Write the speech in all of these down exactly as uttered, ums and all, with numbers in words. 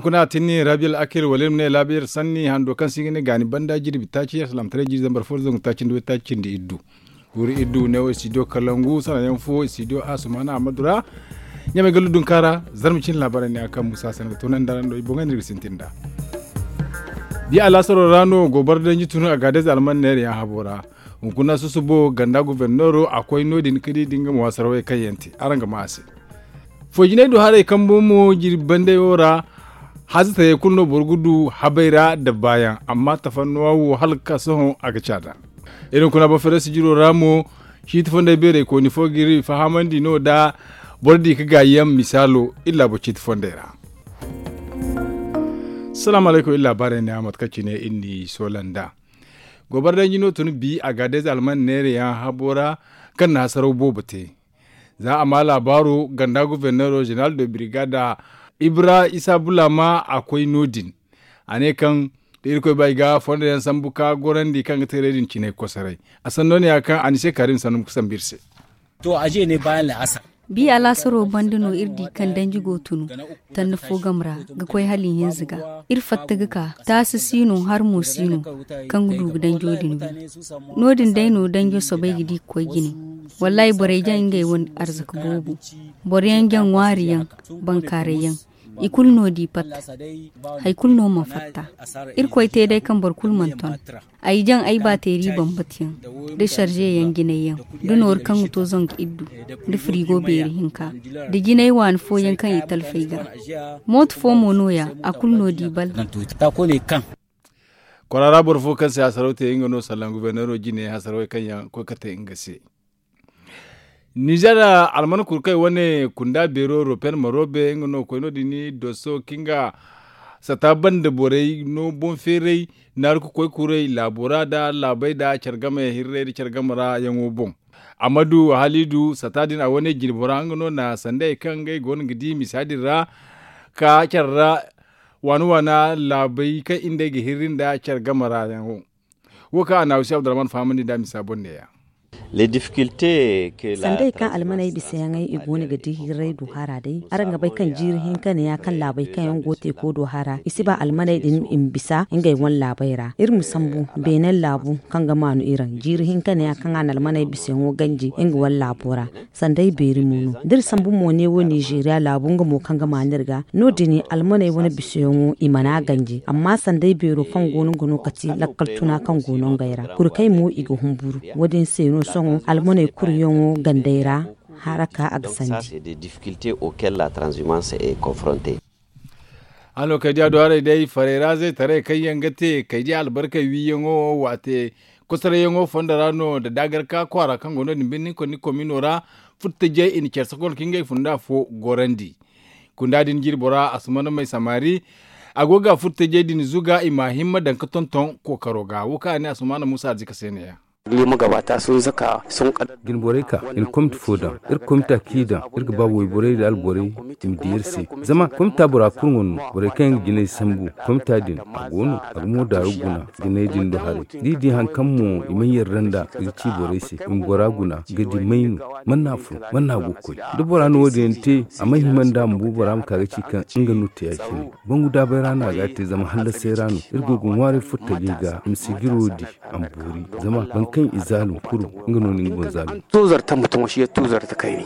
Kuna tinni rabi al'akir wala iri ma ne laabi iri sanni hando kaŋ se i ga ne gaani banda jirbi taaci alsilaamataray jirbi zambar fo zangu taaci nda way taaci cindi iddu. Kuuri iddu ne wo studio kalangu sanayaŋ fo studio asumana ahmadu ra. Ɲamay gallu dunka ra. Zarma cine laabaarey ne a kaŋ musa sanaŋ ga toonandi araŋ do i boŋey no iri ga sintin nd'a. Bi alaasaro ra no gobar danji tun agaadez alman neerayaŋ habo ra. Hunkuna susubo ganda gobornero a koy no- din ka di da nga mo a sarawey kaŋ yaŋ te araŋ ga ma a se. Foy jinay do haray kambo mo jirbi bandey wo ra. Hazatayey kulu no boro ga du habey ra nda baayaŋ amma tafannuwa wo hala ga ka sohõ a ga caada. Iri hunkuna boro fere sijiro ra mo. Ciiti fondey beerey kooni fo ga iri fahamandi no da boro di ga gaayi yaŋ misaalo iri laabo ciiti fondey ra. Salaamu alaykum iri laabaarey ne a mate kaŋ cine iri n'i soola nd'a. Gobar danji no tun bi agaadez alman neerayaŋ habo ra kaŋ na hasaraw boobo te. Za a ma laabaaro ganda gobornero zeneral de birigada ibra isa bulama a koy no- din. A ne kaŋ da irkoy ba i ga fondo yaŋ sambu ka gorandi kaŋ ga teeray din cinay kosoray. A sanno ne ya kaŋ a ni se kaarim sanno ga sambu iri se. Bi alaasaro banda no iri di kaŋ danji go tunu tanni fo game ra ga koy hala ihinza ga. Iri fatta ga ka taasi si no har mo si no kaŋ ga du ga danjo din wi. No- din day no danjo soobay ga di ga koy jine. Wallaahi borey jaŋ ngey wane arzaka boobo. Boro yaŋ jaŋ ŋwaari yaŋ, bankaaray yaŋ, i kulu no di pat. Hari kulu no mana fatta. Irkoy te day kaŋ boro kulu mana ton. Ay jaŋ ay baateeri bambata yaŋ, da sarze yaŋ jinay yaŋ, da nooru kaŋ ga to zangu iddu, da firigo beeri hinka, da jinay waani fooyaŋ kaŋ i talfay ga. Mooto fo mo no- ya a kulu no di bal. Kwaara ra boro fo kaŋ se a sarauta yaŋ nga no sallan guberneero jine hasarawey kaŋ yaŋ koy ka te nga se. Nizer alman kurkey wane kunda beero ropen marobe nga no koy no- din doso kinga sata banda borey no boŋ feeray naaru ka koy kuray laabo ra nda laabey nda care game hirrey nda care game ra yaŋo boŋ. Amadu halidu sata din a wane jine bora nga no na sandey kaŋ ngey go no ga di misa din ra ka care ra waana waana laabey kaŋ iri nd'ey ga hirri nda care game ra yaŋo. Wo kaŋ a na hawsi abdurrahman fahamandi nda a misa boŋ neeya. Sandey kaŋ almaney bisayaŋey i go no ga di hirray du hara day araŋ ga bay kaŋ jiiri hinka ne ya kaŋ laabey kaŋ yaŋ go teeko do hara i si ba almaney din i ma bisa ngey wane laabey ra iri ma sambu beenen laabu kaŋ ga maanu iraŋ jiiri hinka ne ya kaŋ a na almaney bisayaŋo ganji nga wane laabo ra. Sanday beeri mo no da iri sambu mo neewo nizeeriya laabu nga mo kaŋ ga maanu iri ga no- din almaney wane bisayaŋo i mana ganji amma sanday beero kaŋ go no nga no kati lakkal tuna kaŋ go no ngey ra kurkey mo i ga humburu. Wo- din se no sohõ almaney kuryaŋo gandey ra haraka a ga sandi. Hano kaydiya do haray day farey ra zaytaray kaŋ yaŋ ga te kaydiya albarkey wiiyaŋo waate kosarayyaŋo fondo ra no nda daagarka kwaara kaŋ go no- din birni konni komino ra. Furtajey i na care sokol ka ngey funda fo gorandi. Kunda din jirbo ra asumana may samari a go ga furtajey din zuga i ma himma daŋ ka tonton kookaro ga wo kaŋ a ne asumana musa arzika se neeya. Jinborey ka i na komite fo daŋ iri ga ba wayborey nda alborey i ma di iri se. Zama komita bora kulu ŋwa no borey kaŋ yaŋ ga jinay sambu komita din a go no a ga mo daaru guna jinay din do haray da i di hari kaŋ mo i mana yarda nd'a i ga ci borey se i ma bora guna ga di may no. Mana a fun mana a go ga koy da bora na wo- din yaŋ te a mana hima nd'a ma bu bora ma ka ga ci kaŋ nga no te ya- cine. Bangu daabay ra no a ga a te zama hallasay ra no iri go ga ŋwaaray furtajey ga i ma sijiro di a ma boori. Zama boro kaŋ i zaalum kulu nga no na nga boŋ zaalum. Tuzar tamma tuŋo shi ya tuzar ta kayni.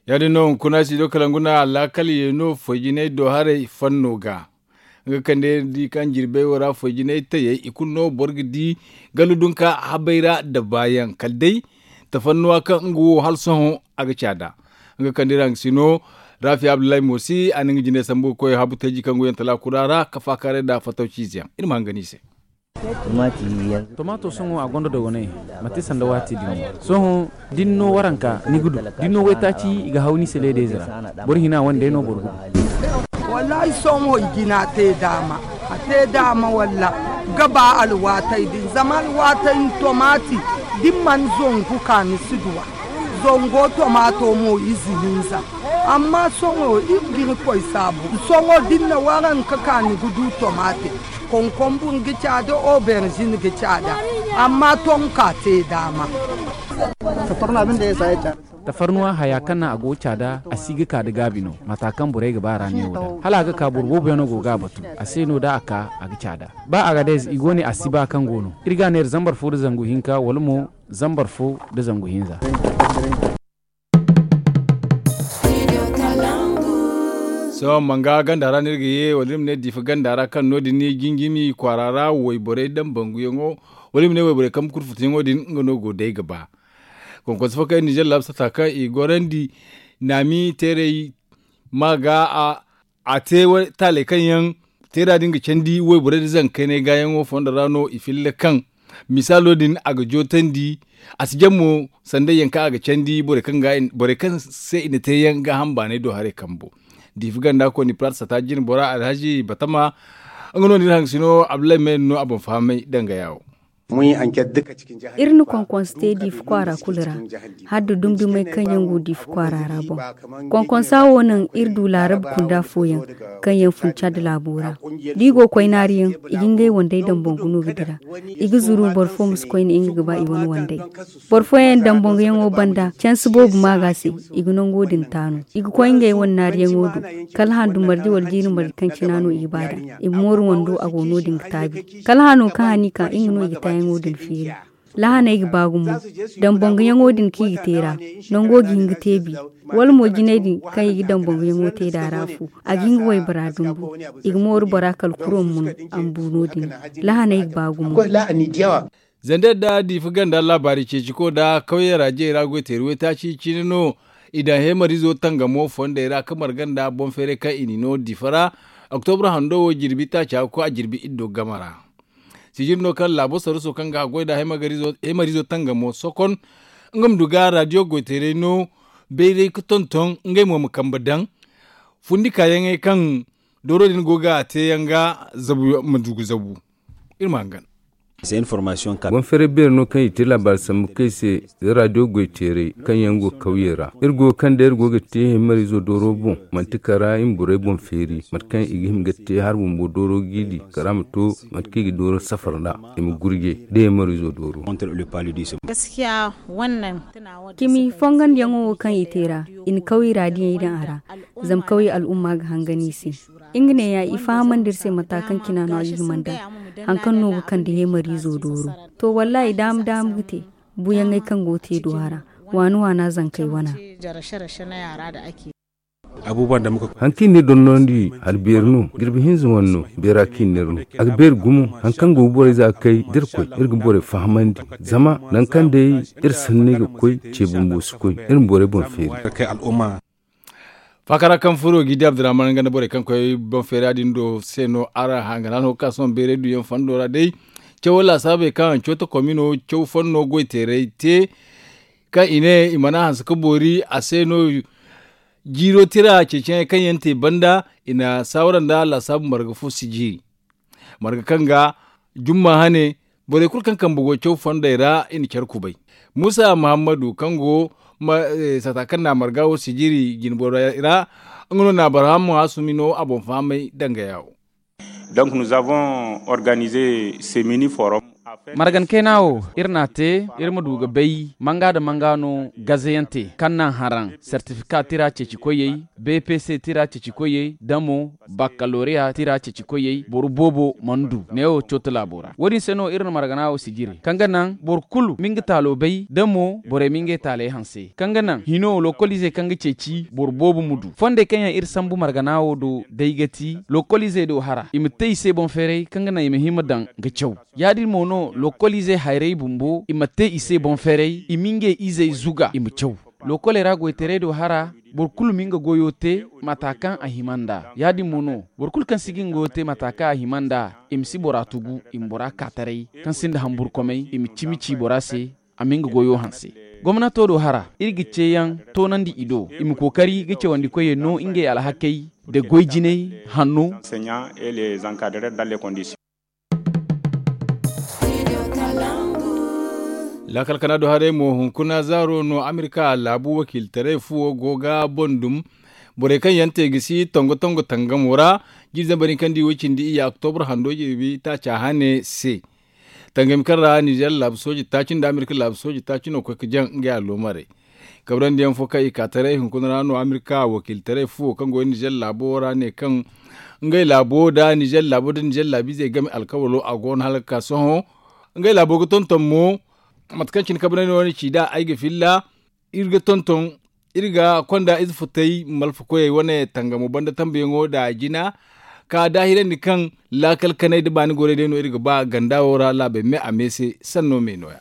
Ya- din no hunkuna si do kala nguna laakal ye no foy jinay do haray fanno ga. Nga kande di kaŋ jirbey wo ra foy jinay tayey i kulu no boro ga di gallu dunka habay ra nda baayaŋ kala day tafannuwa kaŋ nga wo hala sohõ a ga caada. Nga kande ra nga si no rafi abdullahi moosi a na nga jinay sambu ga koy habu tayji kaŋ go yaŋ talaaku ra ra ka faakaaray nda fattaw ciize yaŋ iri ma hangan i se. Tomaato sohõ a gonda dogonay manti sanda waati din no. Sohõ da ni no waranka ni ga du da ni no waytaaci i ga haw ni se leedayze ra. Boro hina wane day no boro ga du. Wallaahi sohõ i jina te daama a te daama walla ga ba alwaatey din zama alwaatey ni tomaati da ni mana zangu ka ni si du a. Zango tomaato mo ize hinza. Amma sohõ iri ga irkoy saabu sohõ da ni na waranka ka ni ga du tomaate. Konkonbur ga caada oberzin ga caada. Amma tonka te daama. Satorna binde ya saya caada. Tafarnuwa haya kaŋ naŋ a go ga caada a si ga ka da gaabi no. Mata kaŋ borey ga ba a ra neewo da hala a ga ka boro boobo yaŋ no go ga a batu. A se no da a ka a ga caada. Ba a ga day i go ne a si ba kaŋ go no iri ga a neera zambar fo nda zangu hinka wala mo zambar fo nda zangu hinza. Sohõ manga ganda ra no iri ga ye wala iri ma ne diifa ganda ra kaŋ no- din ni jinjimi kwaara ra wayborey daŋ banguyaŋo wala iri ma ne wayborey kambe kurfutuyaŋo din nga no go day ga ba. Konkonso fo kaŋ iri ninzeer laabu sata kaŋ i gorandi naami teeray ma ga a te taaley kaŋ yaŋ teera din ga candi wayborey nda zangu kaynay gaayaŋo fondo ra no i filla kaŋ misaalo din a ga jootandi. A si jaŋ mo sanday yaŋ kaŋ a ga candi borey kaŋ se i na te yaŋ gaaham baanay do haray kambo. Diifa ganda kooni palaat sata jine bora alhazi batama nga no nda iri hangasino abdullahi may no a boŋ fahamay danga yaawo. Iri na konkonso te diifa kwaara kulu ra hala da dumdumey kaŋ yaŋ go diifa kwaara ra boŋ. Konkonsa wo naŋ iri du laarab kunda fooyaŋ kaŋ yaŋ fun cad laabo ra. Da i go ga koy naariyaŋ i ga ngey wandey dambangu no ga dira. I ga zuru boro fo ma si koyne nga ga ba i wane wandey. Boro fooyaŋ dambanguyaŋo banda cansi boobo maaga se i ga nango din taanu. I ga koy ngey wane naariyaŋo do kala handu marje wala jiiri marje kaŋ cina no i ga ba nd'a. I ma mooru wando a go no- din ga taabi kala hano kaŋ han i ka nga no i ga taayaŋo din feeri. Lahaney ga ba gumo. Dambanguyaŋo din kaŋ i ga te ra nango ga hin ga te bi. Wala mo jinay din kaŋ i ga dambanguyaŋo te nd'a ra fu a ga hin ga waybora dumbu. I ga mooru bora kala kuro ma mun a ma bu no- din. Lahaney ga ba gumo. Zandar da diifa ganda laabaari ceeciko nda kawyey ra jey ra goy teeri waytaaci cine no. I daŋ heemariizo tangamo fondey ra ka marga nda boŋ feeray kaŋ i n'i no diifa ra. Oktobra hando wo jirbi taaca ga koy a jirbi iddo game ra. Sijiri no kaŋ laabo saruso kaŋ ga haggoy nda heemariizo tangamo sokon nga ma du ga raadiyo goyteeray no. Bayray ga tonton ngey mo ma kambe daŋ fundi kaayaŋey kaŋ dooro din go ga a te yaŋ ga zabu ma du ga zabu. Iri ma hangan. Boŋ feeray beeri no kaŋ i te laabaari sambu kay se. Za raadiyo goyteeray kaŋ yaŋ go kawye ra iri go ga kande iri go ga te heemariizo dooro boŋ. Manti kala iri ma borey boŋ feeri mate kaŋ i ga hima ga te hari bumbo dooro ga i di kala a ma to mate kaŋ i ga dooro safar nd'a. I ma gurje da heemariizo dooro. Cimi fongandiyaŋo wo kaŋ i te ra i na kawye ra diyey daŋ a ra. Zama kawye al'umma ga hangan i se. Nga neeya i fahamandi iri se mata kaŋ cina no a ga hima nd'a. Hari kaŋ no ga kande heemariizo dooro. To wallaahi daama daama ga te. Buuyaŋey kaŋ go ga te duw'a ra waana waana zankey wana. Hari kaŋ i na iri dondonandi hari beeri no jirbi hinza wane no. Beera kaŋ i na iri no a ga beeri gumo. Hari kaŋ go ga borey za ga kay da iri koy iri ga borey fahamandi. Zama nangu kaŋ day iri sanney ga koy ce bumbo si koy iri ma borey boŋ feeri. Faakara kaŋ furo ga i di abdurrahman nga nda borey kaŋ koy boŋ feera din do se no araŋ hangana no ga ka sohõ bayray duyaŋ fondo ra day. Cawo laasaabey kaŋ cooto komino caw fonno goy teeray te kaŋ i ne i mana hanse ga boori a se no. Jiiro tira ceeciyaŋey kaŋ yaŋ te banda i na saawara nda laasaabu marga fo sijiri. Marga kaŋ ga jumma hane borey kulu kaŋ kambe go caw fondey ra i na care kubay. Muusa muhammadu kaŋ go sata kaŋ na marga wo sijiri jinborey ra nga no na abaraham hasumi no a boŋ fahamay danga yaawo. Donc nous avons organisé ce mini forum. Margan kayna wo iri n'a te iri ma du ga bay manga nda manga no gazayaŋ te kaŋ naŋ haraŋ sertifika tira ceeci koyey, bpc tira ceeci koyey da mo bakkaloriya tira ceeci koyey boro boobo mana du neewo cooto laabo ra wo- din se no iri na margana wo sijiri kaŋ ga naŋ boro kulu ma nga taalo bay da mo borey ma ngey taaley hanse kaŋ ga naŋ hino lokoliizey kaŋ ga ceeci boro boobo ma du fondey kaŋ yaŋ iri sambu margana wo do day ga ti lokoliizey do hara i ma te i se boŋ feeray kaŋ ga naŋ i ma hima daŋ ga caw. Ya- din mo no lokoliizey hayrey bumbo i ma te i se boŋ feeray i ma ngey izey zuga i ma caw. Lokoley ra goytaray do hara boro kulu ma nga goyo te mata kaŋ a hima nd'a ya- din mo no boro kulu kaŋ si ga nga goyo te mata kaŋ a hima nd'a i ma si bora tugu i ma bora ka taray kaŋ sinda hamburkomey i ma cimi ci bora se. A ma nga goyo hanse gomnato do hara iri ga ceeyaŋ toonandi i do i ma kookari ga cawandi koyey no ngey alhakey nda goy jinay hanno. Laakal kana do haray mo hunkuna zaaro no amerika laabu wakiilitaray fuwo go ga boŋ dum. Borey kaŋ yaŋ te ga si tongo tongo tangamo ra jiiri zambar hinka nda i way cindi iyya oktobra hando jirbi taaca hane se. Tangami kaŋ ra nizer laabu sooje taaci nda amerika laabu sooje taaci no ga koy ga jaŋ ngey alloomarey. Kabrandiyaŋ fo kaŋ i ka taray hunkuna ra no amerika wakiiltaray fuwo kaŋ go nizer laabo ra ne kaŋ ngey laabo nda nizer laabo nda nizer laabiizey game alkawalo a go no hala ga ka sohõ. Ngey laabo ga tonton mo mate kaŋ cine kabrandi no ni ci nd'a ay ga filla. Iri ga tonton iri ga konda ize futay malfakoyey wane tangamo banda tambuyaŋo nda jina ka daahirandi kaŋ laakal kanay nda baani gorey day no iri ga ba ganda wo ra laabey me a me se sanno me no- ya.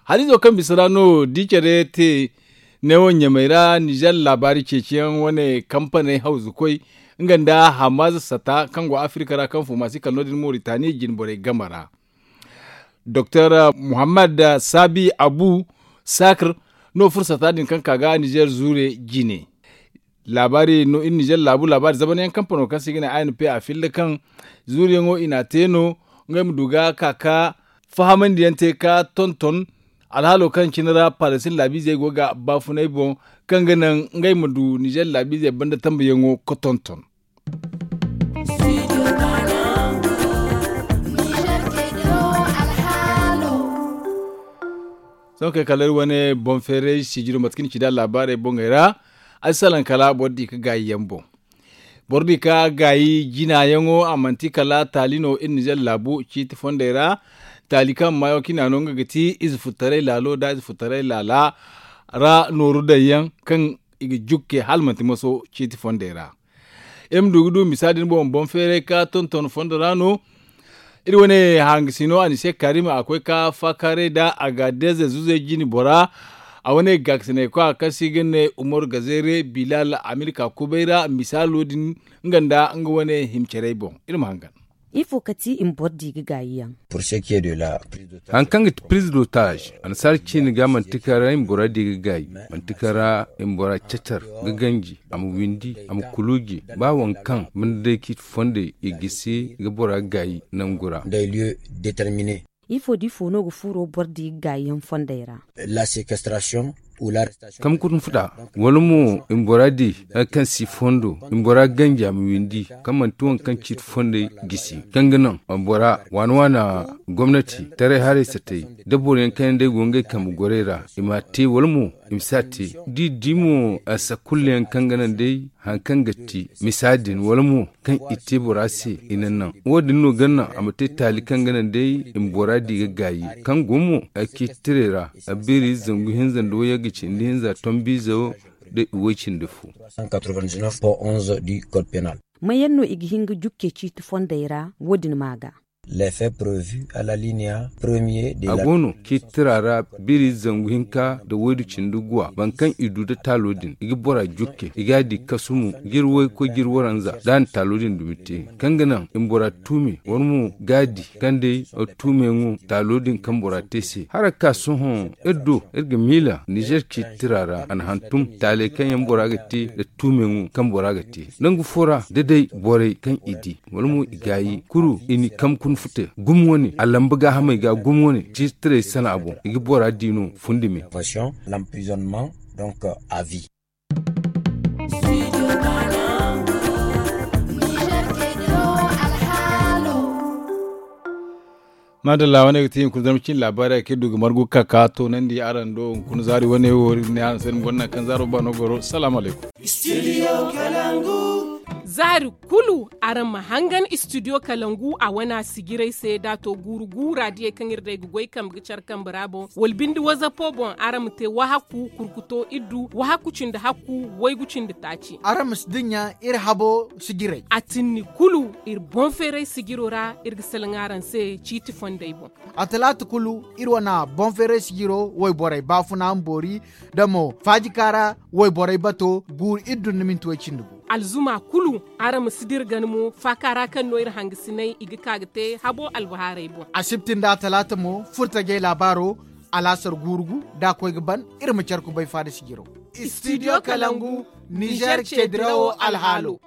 Haliizo kaŋ bisa ra no di care te neewo ɲamey ra nizer laabaari ceeciyaŋ wane kampaney hawzukoy nga nda hamaaza sata kaŋ go afirika ra kaŋ fo maasi kala no- din moritani jinborey game ra. Doktor muhammad sabi abu sakr no fursata din kaŋ ka ga nizer zuure jine. Laabaari no iri nizer laabu laabaari zamanayaŋ kampano kaŋ se i ga ne a n p a filla kaŋ zuuriyaŋo i n'a te no ngey ma du ga ka ka fahamandiyaŋ te ka tonton alhaalo kaŋ cine ra palasin laabiizey go ga baafunay boŋ kaŋ ga naŋ ngey ma du nizer laabiizey banda tambuyaŋo ga tonton. Sohõ kay kala iri wane boŋ feeray sijiro mate kaŋ ni ci nd'a laabaarey boŋey ra ay salaŋ kala boro di ga gaayi yaŋ boŋ. Boro di ga gaayi jina yaŋo a manti kala taali no iri nizer laabu ciiti fondey ra. Taali kaŋ maayo kaŋ i n'a no nga ga ti ize furtaray laalo nda ize furtaray laala ra nooru daŋ yaŋ kaŋ i ga jukke hala manti maso ciiti fondey ra. Iri ma du ga du misa din boŋ boŋ feeray ka tonton fondo ra no. Iri wane hangasino anise karima a koy ka faakaaray nda a ga deeze zuzey jine bora. A wane gaakasinay kwa kaŋ se i ga ne umaru gazeere bilal a ma iri ka kubay ra misaalo din nga nda nga wane himcarey boŋ. Iri ma hangan. Ifo ka ti i ma boro di ga gaayi yaŋ? Haŋ kaŋ ga ti piriz d'otage annasaara ciine ga manti kaŋ ra i ma bora di ga gaayi manti kaŋ ra i ma bora cacar ga ganji a ma windi a ma kuluuji ba waŋ kaŋ banda day ciiti fondey i gisi ga bora gaayi nangu ra. Ifo da ifo no ga furo boro di ga gaayi yaŋ fondey ra? Kamkun futa wala mo i ma bora di hari kaŋ si fondo i ma bora ganji a ma windi kaŋ manti waŋ kaŋ ciiti fondey gisi kaŋ ga naŋ a ma bora waana waana gomnati taray haray satay da boro yaŋ kaŋ yaŋ day go ngey kambe gorey ra i ma a te wala mo i ma si a te da i di mo a sakulla yaŋ kaŋ ga naŋ day hari kaŋ ga ti misa din wala mo kaŋ i te bora se i naŋ naŋ wo- din no ga naŋ a ma te taali kaŋ ga naŋ day i ma bora di ga gaayi kaŋ go mo a ciiti tiray ra a beeri zangu hinza nda wayyaŋ ga cindi hinza tombiizo da i way cindi fo. Mayaŋ no i ga hin ga jukke ciiti fondey ra wo- din ma ga? A go no ciiti tira ra biri zangu hinka nda waydu cindi guwa boro kaŋ i du nda taalo din i ga bora jukke i ga a di kasumu jiri waykoy jiri waranza da a na taalo din dumi te kaŋ ga naŋ i ma bora tuume wala mo ga a di kaŋ day tuumeyaŋo taalo din kaŋ bora te se hala ga ka sohõ iri do iri ga miila nizer ciiti tira ra a na hantum taaley kaŋ yaŋ bora ga te nda tuumeyaŋo kaŋ bora ga te nangu fo ra da day borey kaŋ i di wala mo i gaayi kulu i ni kamkun fute gumo wane a lamba gaahamey ga gumo wane ciiti tirey sana boŋ i ga bora di no fundi me. Maadalla wane ga ti hunkuna zarma cine laabaarey kaŋ iri du ga margu ga ka ka toonandi araŋ do hunkuna zaari wane wo iri ga ne araŋ se iri ma gonda nangu kaŋ zaaro ba no goro salaamu alaykum. Zaari kulu araŋ ma hangan istidiyo kalangu a wana sijirey se da a to guuru guura diyey kaŋ iri day ga goy kambe ga care kambe ra boŋ wala binde wazapo boŋ araŋ ma te wahakku kurkuto iddu wahakku cindi hakku waygu cindi taaci. Araŋ ma si dinya iri habo sijirey a tinni kulu iri boŋ feeray sijiro ra iri ga salaŋ araŋ se ciiti fondey boŋ. A talaata kulu iri wana boŋ feeray sijiro wayborey baafuna ma boori da mo faajika ra wayborey bato guuru iddu nda minti way cindi gu. Alzuma kulu araŋ ma si dira gana mo faaka ra kaŋ no iri hangasiney i ga ka ga te habo albahaarey boŋ. Asibti nda atalaata mo furtajey laabaaro alaasar guuru gu da a koy ga ban iri ma care kubay faada sijiro. Istidiyo kalangu nizer ceedirawo alhaalo.